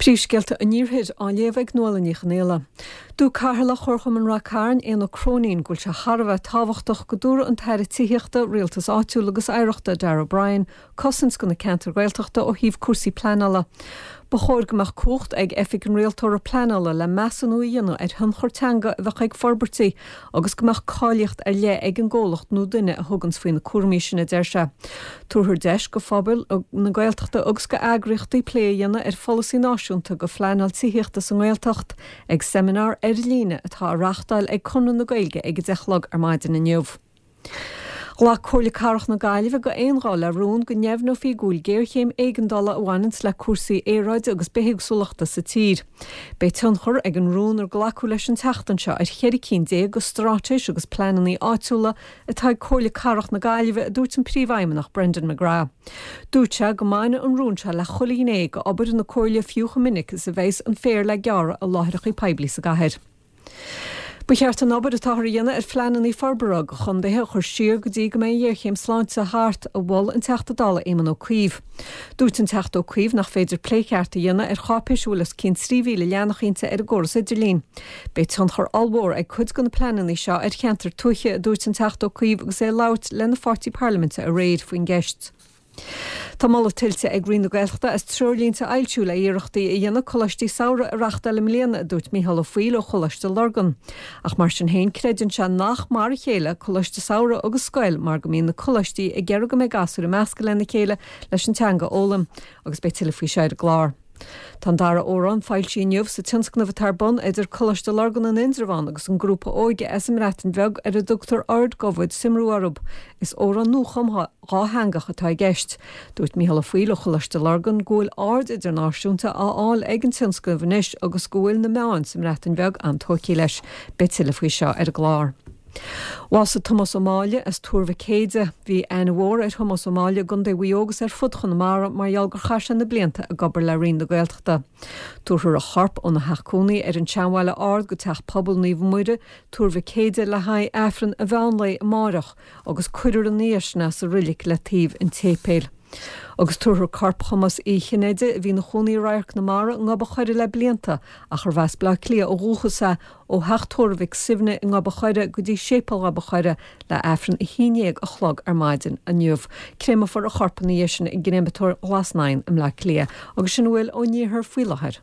Príomhscéalta an Iarthair á léamh ag Nuala Ní Chonfhaola. Dúirt Cathaoirleach Chomharchumann Rath Cairn, Éanna Croinín, go bhfuil sé thar a bheith tábhachtach go dtabharfadh an tAire Tithíochta, Rialtais Áitiúil agus Oidhreachta, Darragh O'Brien, cosaint do na ceantair Ghaeltachta ó thaobh cúrsaí pleanála. Ba chóir go mbeadh cumhacht ag Oifig an Rialtóra Pleanála le measúnú a dhéanamh ar thionchar teanga a bheadh ag forbairtí agus go mbeadh cáilíocht ar leith ag an gcomhlacht nó duine a thuganns faoi na cúraimí sin, a deir sé. Tabharfar deis go phobal na Gaeltachta agus go eagraíochtaí plé a dhéanamh ar pholasaí náisiúnta go phleanáil tithíochta sa nGaeltacht ag seimineár ar líne atá á reachtáil ag Conradh na Gaeilge ag 10 a chlog ar maidin inniu. Ghlac Comhairle Cathrach na Gaillimhe go aon ghuth le rún go ndeimhneofaí go bhfuil géarchéim éigeandála a bhaineanns le cúrsaí aeráide agus bithéagsúlachta sa tír. Beidh tionchar ag an rún ar glacadh leis an tseachtain seo ar cheithre cinn go straitéis agus pleananna áitiúla atá ag Comhairle Cathrach na Gaillimhe, a dúirt an Príomhfheidhmeannach Brendan McGrath. Dúirt sé go mbaineann an rún seo le chuile ghné go obair na Comhairle fiú chomh minic is a bheas an féar le gearradh i láithreacha poiblí sa gcathair. Ba cheart an obair atáthar a dhéanamh ar phleananna forbartha go chontaetha a chur siar go dtí go mbeidh an ghéarchéim sláinte thart, a mhol an Teachta Dála Éamon Ó Cuív. Dúirt an Teachta Ó Cuív nach féidir plé ceart a dhéanamh ar cháipéis a bhfuil os cionn 3,000 leathanach inti ar an gcóras idirlín. Beidh tionchar ollmhór ag cuid de na pleananna seo ar cheantair tuaithe, a dúirt an Teachta Ó Cuív agus é ag labhairt lena pháirtí parlaiminte aréir faoin gceist. Tá moladh tuillte ag Roinn na Gaeltachta as treoirlínte a fhoilsiú le iarrachtaí a dhéanamh coláistí samhraidh a reachtáil i mbliana, a dúirt Micheál Ó Foighil ó Choláiste Lurgan. Ach mar sin féin, creideann sé nach mar a chéile coláiste samhraidh agus scoil mar go mbíonn na coláistí ag iarraidh go mbeidh gasúir ag meascadh lena chéile leis an teanga a fhoghlaim. Agus beidh tuilleadh faoi seo ar an gclár. Tá an dara amhrán foilsithe inniu sa tionscnamh atá ar bun idir Coláiste Lurgan in Indreabhán agus an grúpa óige as an mBreatain Bheag ar a dtugtar Urdd Gofyd Cymru orthu. Is amhrán nuachumtha dhátheangach atá i gceist. Dúirt Micheál Ó Foighil ó Choláiste Lurgan go bhfuil aird idirnáisiúnta á fháil ag an tionscnamh anois agus go bhfuil na meáin sa mBreatain Bheag an-tógtha leis. Beidh tuilleadh faoi seo ar an gclár. Bhásaigh Tomás Ó Máille as Tuar Mhic Éide. Bhí aithne mhór ar Thomás Ó Máille i gContae Mhaigh Eo agus ar fud Chonamara mar gheall gur chaith sé na blianta ag obair le Roinn na Gaeltachta. Tabharfar a chorp óna theach cónaí ar an tSeanbhaile Ard go Teach Pobail Naomh Muire, Tuar Mhic Éide le haghaidh Aifreann an mheán lae amáireach agus cuirfear ina dhiaidh sin é sa roilig le taobh an tséipéil. Agus tabharfar corp Thomáis Uí Chinnéide, a bhí ina chónaí i Radharc na Mara i nGob a' Choire le blianta ach arbh as Bleá Cliath ó dhúchas é, ó theach tórraimh Mhic Suibhne i nGob a' Choire go dtí Séipéal Ghob a' Choire le Aifreann 11 a chlog ar maidin inniu. Créamfar a chorp ina dhiaidh sin i gcréamatóir Ghlas Naíon i mBleá Cliath. Agus sin a bhfuil ón iarthar faoi láthair.